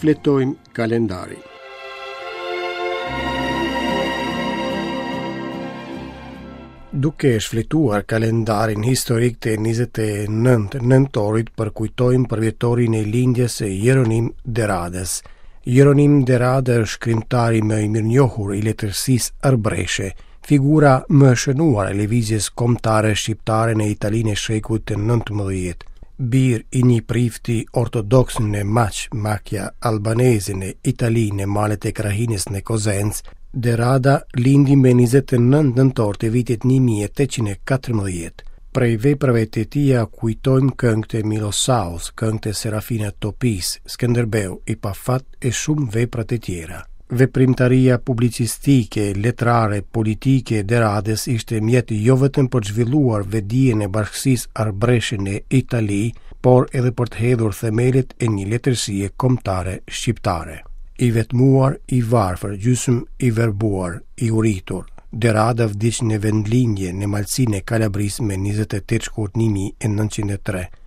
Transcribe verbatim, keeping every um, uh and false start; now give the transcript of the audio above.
Shfletojmë kalendarin. Duke shfletuar kalendarin historik të njëzet e nëntë nëntorit, përkujtojmë përvjetorin e lindjes së Jeronim De Radës. Jeronim De Rada është shkrimtari më i mirënjohur i letërsisë arbreshe, figura më e shënuar e lëvizjes kombëtare shqiptare në Italinë e shekullit të nëntëmbëdhjetë. Bir i një prifti ortodoks në Maç, Macchia Albanese në Itali, në malet e krahinës në Kozencë, De Rada lindi me njëzet e nëntë nëntor të vitit një mijë e tetëqind e katërmbëdhjetë. Prej veprave të tija kujtojmë këngët e Milosaos, këngët e Serafina Topisë, Skënderbeu i pafat e shumë vepra të tjera. Veprimtaria publicistike, letrare, politike e De Radës ishte mjet jo vetëm për të zhvilluar vetëdijen e bashkësisë arbreshe në Itali, por edhe për të hedhur themelet e një letërsie kombëtare shqiptare. I vetmuar, i varfër, gjysmë i verbuar, i uritur, De Rada vdiq në vendlindje në Malësinë e Kalabrisë me njëzet e tetë shkurt një mijë e nëntëqind e tre.